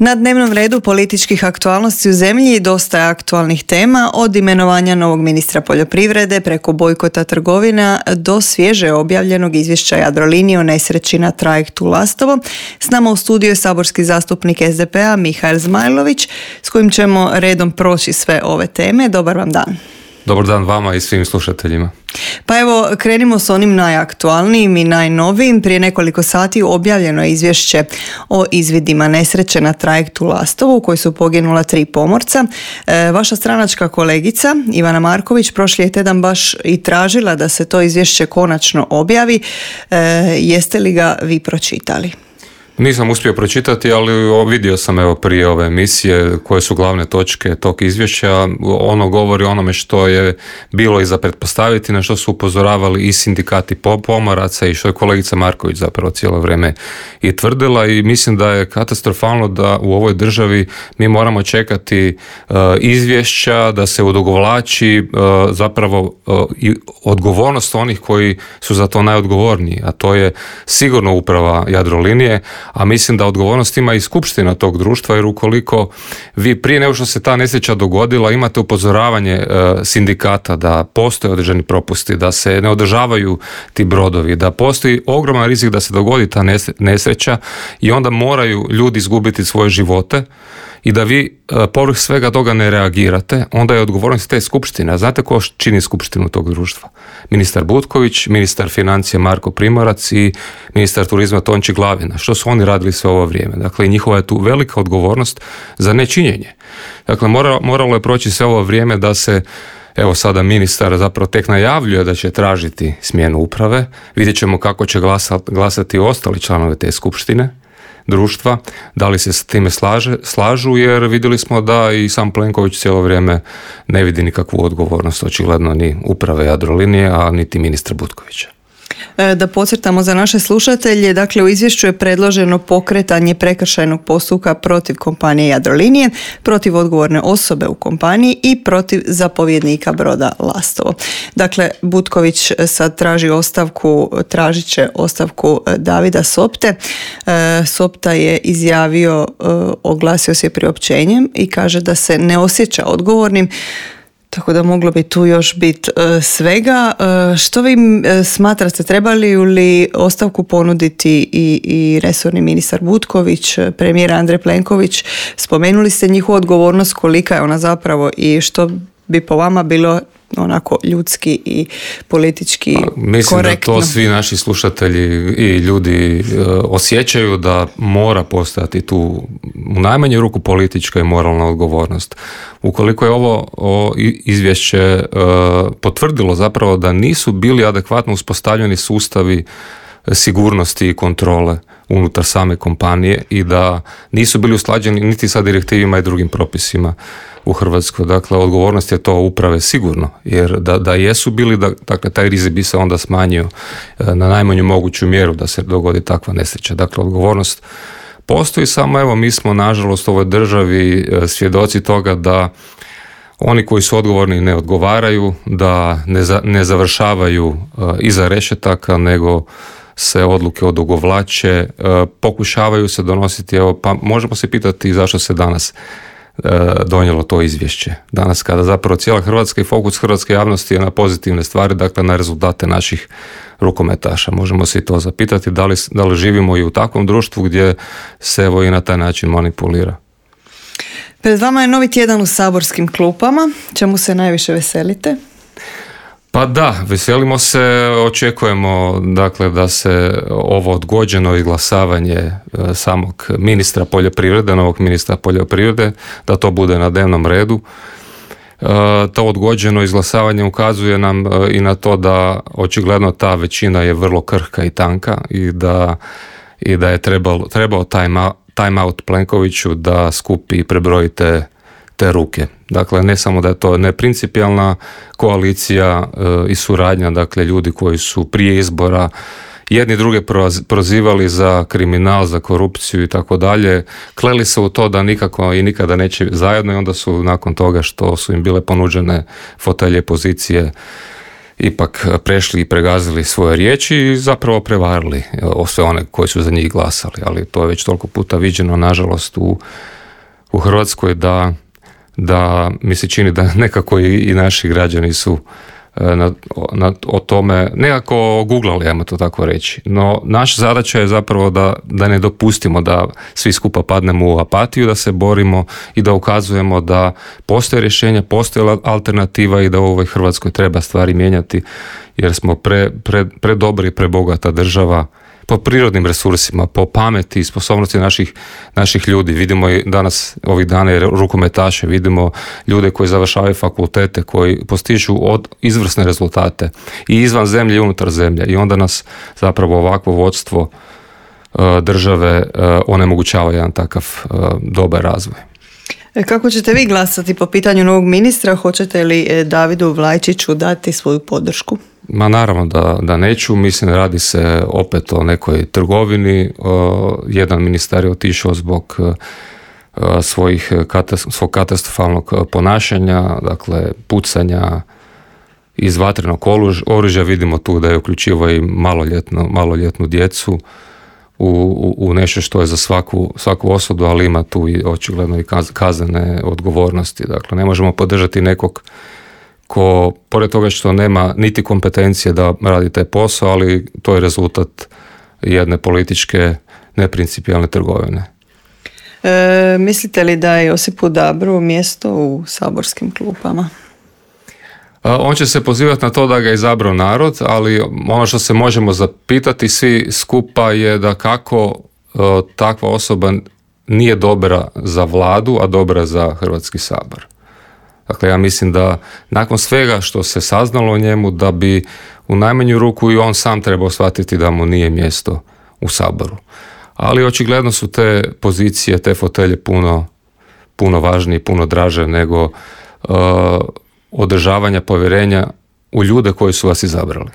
Na dnevnom redu političkih aktualnosti u zemlji dosta je aktualnih tema, od imenovanja novog ministra poljoprivrede preko bojkota trgovina do svježe objavljenog izvješća Jadrolinije o nesreći na trajektu Lastovo. S nama u studiju je saborski zastupnik SDP-a Mihael Zmajlović, s kojim ćemo redom proći sve ove teme. Dobar vam dan. Dobar dan vama i svim slušateljima. Pa evo, krenimo s onim najaktualnijim i najnovijim. Prije nekoliko sati objavljeno je izvješće o izvidima nesreće na trajektu Lastovo u kojoj su poginula 3 pomorca. Vaša stranačka kolegica Ivana Marković prošli je tjedan baš i tražila da se to izvješće konačno objavi. Jeste li ga vi pročitali? Nisam uspio pročitati, ali vidio sam prije ove emisije koje su glavne točke tog izvješća. Ono govori o onome što je bilo i za pretpostaviti, na što su upozoravali i sindikati pomoraca i što je kolegica Marković zapravo cijelo vrijeme i tvrdila, i mislim da je katastrofalno da u ovoj državi mi moramo čekati izvješća, da se odugovlači zapravo i odgovornost onih koji su za to najodgovorniji, a to je sigurno uprava Jadrolinije, a mislim da odgovornost ima i skupština tog društva, jer ukoliko vi prije nego što se ta nesreća dogodila imate upozoravanje sindikata da postoje određeni propusti, da se ne održavaju ti brodovi, da postoji ogroman rizik da se dogodi ta nesreća i onda moraju ljudi izgubiti svoje živote, i da vi povrh svega toga ne reagirate, onda je odgovornost te skupštine. A znate ko čini skupštinu tog društva? Ministar Butković, ministar financija Marko Primorac i ministar turizma Tonči Glavina. Što su oni radili sve ovo vrijeme? Dakle, njihova je tu velika odgovornost za nečinjenje. Dakle, moralo je proći sve ovo vrijeme da se, evo sada ministar zapravo tek najavljuje da će tražiti smjenu uprave. Vidjet ćemo kako će glasati ostali članovi te skupštine društva, da li se s time slažu, jer vidjeli smo da i sam Plenković cijelo vrijeme ne vidi nikakvu odgovornost, očigledno ni uprave Jadrolinije, a niti ministra Butkovića. Da podcrtamo za naše slušatelje, dakle u izvješću je predloženo pokretanje prekršajnog postupka protiv kompanije Jadrolinije, protiv odgovorne osobe u kompaniji i protiv zapovjednika broda Lastovo. Dakle, Butković sad tražit će ostavku Davida Sopte. Sopta je izjavio, oglasio se priopćenjem i kaže da se ne osjeća odgovornim. Tako da moglo bi tu još biti svega. Što vi smatrate, trebali li ostavku ponuditi i resorni ministar Butković, premijer Andrej Plenković? Spomenuli ste njihovu odgovornost, kolika je ona zapravo i što bi po vama bilo onako ljudski i politički mislim korektno? Da to svi naši slušatelji i ljudi osjećaju, da mora postojati tu u najmanju ruku politička i moralna odgovornost. Ukoliko je ovo izvješće potvrdilo zapravo da nisu bili adekvatno uspostavljeni sustavi sigurnosti i kontrole unutar same kompanije i da nisu bili usklađeni niti sa direktivima i drugim propisima u Hrvatskoj. Dakle, odgovornost je to uprave sigurno, jer da jesu bili, dakle, taj rizik bi se onda smanjio na najmanju moguću mjeru da se dogodi takva nesreća. Dakle, odgovornost postoji, samo evo mi smo nažalost u ovoj državi svjedoci toga da oni koji su odgovorni ne odgovaraju, da ne završavaju iza rešetaka, nego se odluke odugovlače, pokušavaju se donositi, pa možemo se pitati zašto se danas donijelo to izvješće. Danas kada zapravo cijela Hrvatska i fokus hrvatske javnosti je na pozitivne stvari, dakle na rezultate naših rukometaša. Možemo se i to zapitati da li živimo i u takvom društvu gdje se i na taj način manipulira. Pred vama je novi tjedan u saborskim klupama. Čemu se najviše veselite? Pa da, veselimo se, očekujemo dakle da se ovo odgođeno izglasavanje samog ministra poljoprivrede, novog ministra poljoprivrede, da to bude na dnevnom redu. To odgođeno izglasavanje ukazuje nam i na to da očigledno ta većina je vrlo krhka i tanka i da je trebao time out Plenkoviću da skupi i prebroji te ruke. Dakle, ne samo da je to neprincipijelna koalicija i suradnja, dakle, ljudi koji su prije izbora jedni druge prozivali za kriminal, za korupciju i tako dalje, kleli se u to da nikako i nikada neće zajedno, i onda su nakon toga što su im bile ponuđene fotelje, pozicije, ipak prešli i pregazili svoje riječi i zapravo prevarili sve one koji su za njih glasali. Ali to je već toliko puta viđeno, nažalost, u Hrvatskoj da mi se čini da nekako i naši građani su o tome nekako googlali, ajmo to tako reći. No, naša zadaća je zapravo da ne dopustimo da svi skupa padnemo u apatiju, da se borimo i da ukazujemo da postoje rješenja, postoje alternativa i da u ovoj Hrvatskoj treba stvari mijenjati, jer smo predobri i prebogata država po prirodnim resursima, po pameti i sposobnosti naših ljudi. Vidimo i danas, ovih dana, rukometaše, vidimo ljude koji završavaju fakultete, koji postižu izvrsne rezultate i izvan zemlje i unutar zemlje, i onda nas zapravo ovakvo vodstvo države onemogućava jedan takav dobar razvoj. Kako ćete vi glasati po pitanju novog ministra? Hoćete li Davidu Vlajčiću dati svoju podršku? Ma naravno da neću, mislim, radi se opet o nekoj trgovini. Jedan ministar je otišao zbog svog katastrofalnog ponašanja, dakle pucanja iz vatrenog oružja. Vidimo tu da je uključivo i maloljetnu djecu u nešto što je za svaku osudu, ali ima tu i očigledno i kaznene odgovornosti. Dakle, ne možemo podržati nekog ko, pored toga što nema niti kompetencije da radi taj posao, ali to je rezultat jedne političke neprincipijalne trgovine. Mislite li da je Josipu Dabru mjesto u saborskim klupama? On će se pozivati na to da ga je izabrao narod, ali ono što se možemo zapitati svi skupa je da kako takva osoba nije dobra za vladu, a dobra za Hrvatski sabor. Dakle, ja mislim da nakon svega što se saznalo o njemu, da bi u najmanju ruku i on sam trebao shvatiti da mu nije mjesto u Saboru. Ali očigledno su te pozicije, te fotelje puno važnije, puno draže nego održavanja povjerenja u ljude koji su vas izabrali.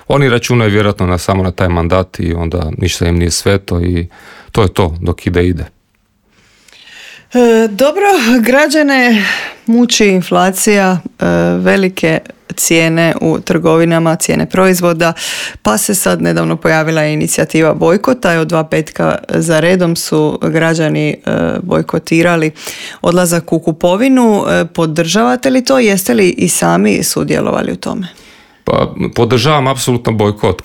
Oni računaju vjerojatno samo na taj mandat i onda ništa im nije sveto i to je to dok ide. Dobro, građane muči inflacija, velike cijene u trgovinama, cijene proizvoda, pa se sad nedavno pojavila inicijativa bojkota i od 2 petka za redom su građani bojkotirali odlazak u kupovinu. Podržavate li to? Jeste li i sami sudjelovali u tome? Pa podržavam apsolutno bojkot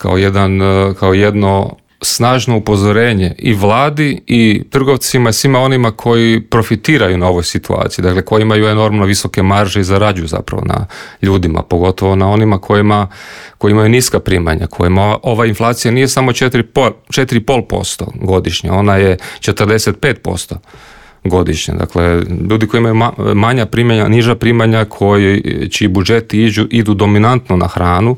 kao jedno snažno upozorenje i vladi i trgovcima i svima onima koji profitiraju na ovoj situaciji, dakle koji imaju enormno visoke marže i zarađuju zapravo na ljudima, pogotovo na onima koji imaju niska primanja, kojima ova inflacija nije samo 4,5% godišnje, ona je 45% godišnje. Dakle, ljudi koji imaju manja primanja, niža primanja, čiji budžeti idu dominantno na hranu,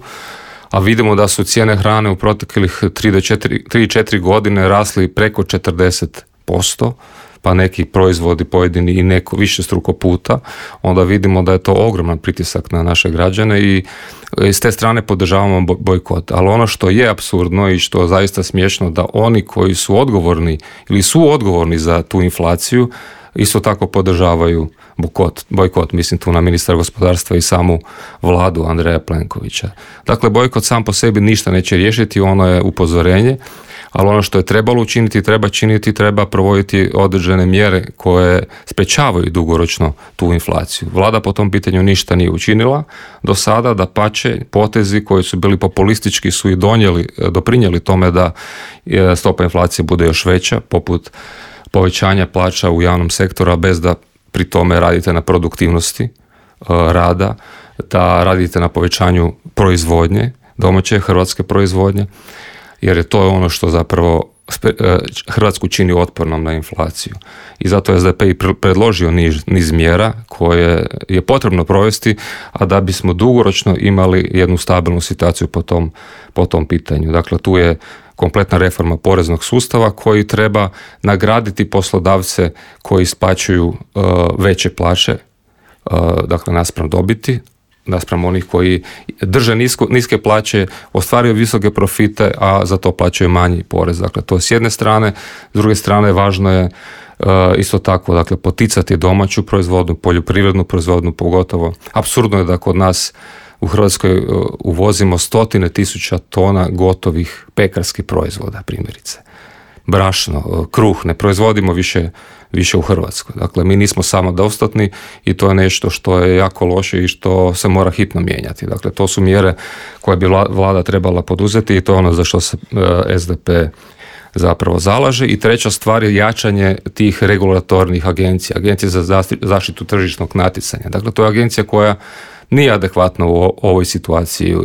a vidimo da su cijene hrane u proteklih 3-4 godine rasli preko 40%, pa neki proizvodi pojedini i neko višestruko puta, onda vidimo da je to ogroman pritisak na naše građane i s te strane podržavamo bojkot. Ali ono što je apsurdno i što je zaista smiješno, da oni koji su odgovorni ili su odgovorni za tu inflaciju isto tako podržavaju bojkot, mislim tu na ministra gospodarstva i samu vladu Andreja Plenkovića. Dakle, bojkot sam po sebi ništa neće riješiti, ono je upozorenje, ali ono što je trebalo učiniti, treba provoditi određene mjere koje sprečavaju dugoročno tu inflaciju. Vlada po tom pitanju ništa nije učinila do sada, dapače, potezi koji su bili populistički su i doprinijeli tome da stopa inflacije bude još veća, poput povećanja plaća u javnom sektoru, bez da pri tome radite na produktivnosti rada, da radite na povećanju proizvodnje, domaće hrvatske proizvodnje, jer je to ono što zapravo Hrvatsku čini otpornom na inflaciju. I zato je SDP i predložio niz mjera koje je potrebno provesti, a da bismo dugoročno imali jednu stabilnu situaciju po tom pitanju. Dakle, tu je kompletna reforma poreznog sustava koji treba nagraditi poslodavce koji isplaćuju veće plaće, dakle naspram dobiti, naspram onih koji drže niske plaće, ostvaruju visoke profite, a za to plaćaju manji porez. Dakle, to s jedne strane. S druge strane, važno je isto tako, dakle, poticati domaću proizvodnju, poljoprivrednu proizvodnju pogotovo. Apsurdno je da kod nas u Hrvatskoj uvozimo 100.000 tona gotovih pekarskih proizvoda, primjerice. Brašno, kruh, ne proizvodimo više u Hrvatskoj. Dakle, mi nismo samodostatni i to je nešto što je jako loše i što se mora hitno mijenjati. Dakle, to su mjere koje bi vlada trebala poduzeti i to je ono za što se SDP zapravo zalaže. I treća stvar je jačanje tih regulatornih agencija, agencije za zaštitu tržišnog natjecanja. Dakle, to je agencija koja nije adekvatno u ovoj situaciji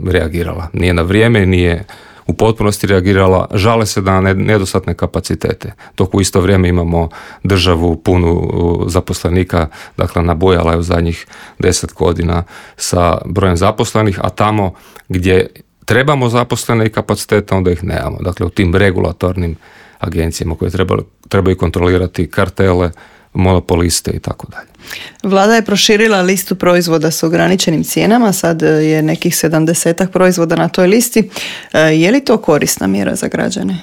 reagirala. Nije na vrijeme, nije u potpunosti reagirala, žale se na nedostatne kapacitete, dok u isto vrijeme imamo državu punu zaposlenika, dakle nabujala je u zadnjih 10 godina sa brojem zaposlenih, a tamo gdje trebamo zaposlene i kapacitete, onda ih nemamo. Dakle, u tim regulatornim agencijama koje trebaju kontrolirati kartele, monopoliste i tako dalje. Vlada je proširila listu proizvoda s ograničenim cijenama, sad je nekih 70 proizvoda na toj listi. Je li to korisna mjera za građane?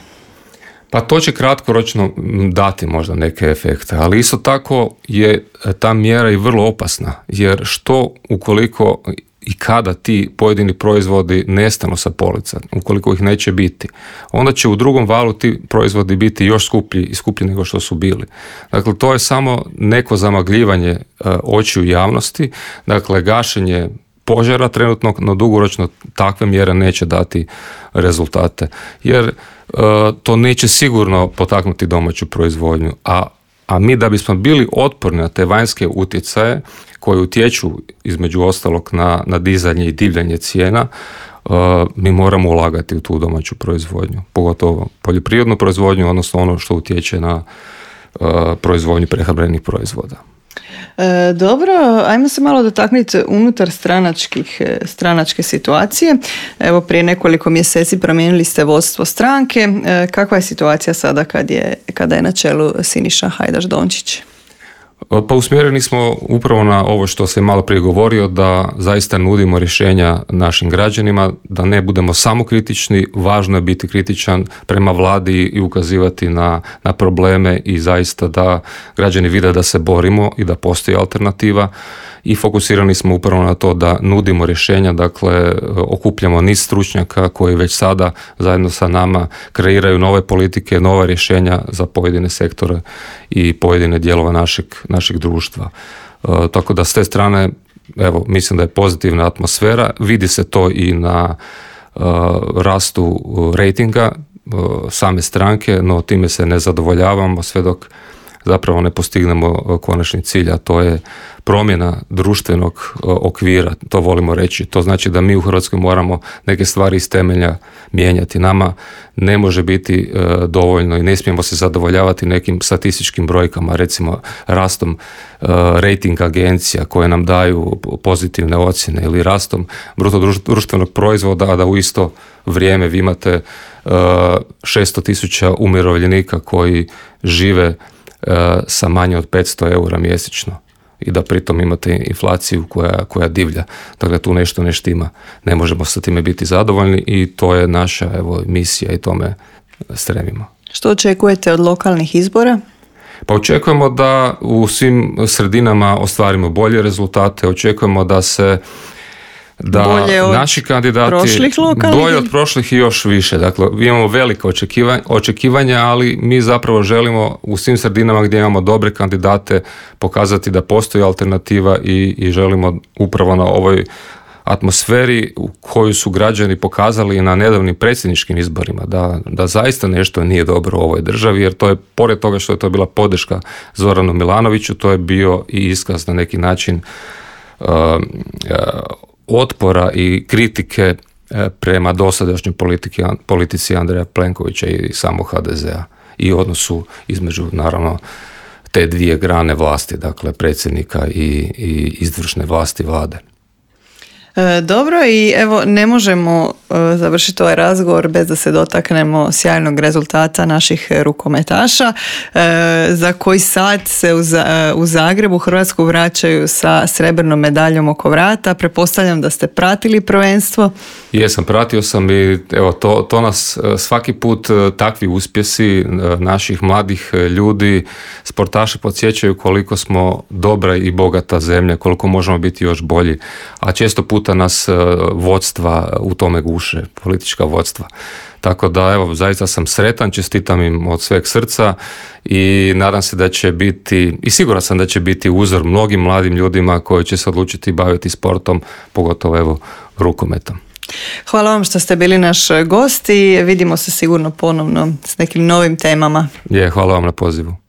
Pa to će kratkoročno dati možda neke efekte, ali isto tako je ta mjera i vrlo opasna, jer što ukoliko i kada ti pojedini proizvodi nestanu sa polica, ukoliko ih neće biti, onda će u drugom valu ti proizvodi biti još skuplji nego što su bili. Dakle, to je samo neko zamagljivanje očiju javnosti, dakle, gašenje požara trenutno, no dugoročno takve mjere neće dati rezultate, jer to neće sigurno potaknuti domaću proizvodnju, a mi da bismo bili otporni na te vanjske utjecaje koji utječu između ostalog na dizanje i divljanje cijena, mi moramo ulagati u tu domaću proizvodnju, pogotovo poljoprivrednu proizvodnju, odnosno ono što utječe na proizvodnju prehrambenih proizvoda. Dobro, ajmo se malo dotaknuti unutar stranačke situacije. Evo, prije nekoliko mjeseci promijenili ste vodstvo stranke. Kakva je situacija sada kada je na čelu Siniša Hajdaš Dončić? Pa usmjereni smo upravo na ovo što sam malo prije govorio, da zaista nudimo rješenja našim građanima, da ne budemo samo kritični, važno je biti kritičan prema vladi i ukazivati na probleme i zaista da građani vide da se borimo i da postoji alternativa. I fokusirani smo upravo na to da nudimo rješenja, dakle okupljamo niz stručnjaka koji već sada zajedno sa nama kreiraju nove politike, nova rješenja za pojedine sektore i pojedine dijelove našeg društva. Tako da s te strane, evo, mislim da je pozitivna atmosfera, vidi se to i na rastu rejtinga same stranke, no time se ne zadovoljavamo sve dok zapravo ne postignemo konačni cilj, a to je promjena društvenog okvira, to volimo reći. To znači da mi u Hrvatskoj moramo neke stvari iz temelja mijenjati. Nama ne može biti dovoljno i ne smijemo se zadovoljavati nekim statističkim brojkama, recimo rastom rating agencija koje nam daju pozitivne ocjene ili rastom bruto društvenog proizvoda, a da u isto vrijeme vi imate 600.000 umirovljenika koji žive sa manje od 500 eura mjesečno i da pritom imate inflaciju koja divlja. Dakle, tu nešto ne štima. Ne možemo sa time biti zadovoljni i to je naša misija i tome stremimo. Što očekujete od lokalnih izbora? Pa očekujemo da u svim sredinama ostvarimo bolje rezultate, očekujemo da naši kandidati bolje od prošlih i još više. Dakle, imamo velike očekivanja, ali mi zapravo želimo u svim sredinama gdje imamo dobre kandidate pokazati da postoji alternativa i želimo upravo na ovoj atmosferi u koju su građani pokazali na nedavnim predsjedničkim izborima, da zaista nešto nije dobro u ovoj državi, jer to je, pored toga što je to bila podrška Zoranu Milanoviću, to je bio i iskaz na neki način otpora i kritike prema dosadašnjoj politici Andreja Plenkovića i samog HDZ-a i odnosu između, naravno, te dvije grane vlasti, dakle predsjednika i izvršne vlasti vlade. Dobro, i evo, ne možemo završiti ovaj razgovor bez da se dotaknemo sjajnog rezultata naših rukometaša, za koji sat se u Zagrebu Hrvatsku vraćaju sa srebrnom medaljom oko vrata. Pretpostavljam da ste pratili prvenstvo. Jesam, pratio sam i evo, to nas svaki put takvi uspjesi naših mladih ljudi, sportaši podsjećaju koliko smo dobra i bogata zemlja, koliko možemo biti još bolji, a često puta nas vodstva u tome guše, politička vodstva. Tako da, evo, zaista sam sretan, čestitam im od sveg srca i nadam se da će biti, i siguran sam da će biti uzor mnogim mladim ljudima koji će se odlučiti baviti sportom, pogotovo evo rukometom. Hvala vam što ste bili naš gost i vidimo se sigurno ponovno s nekim novim temama. Hvala vam na pozivu.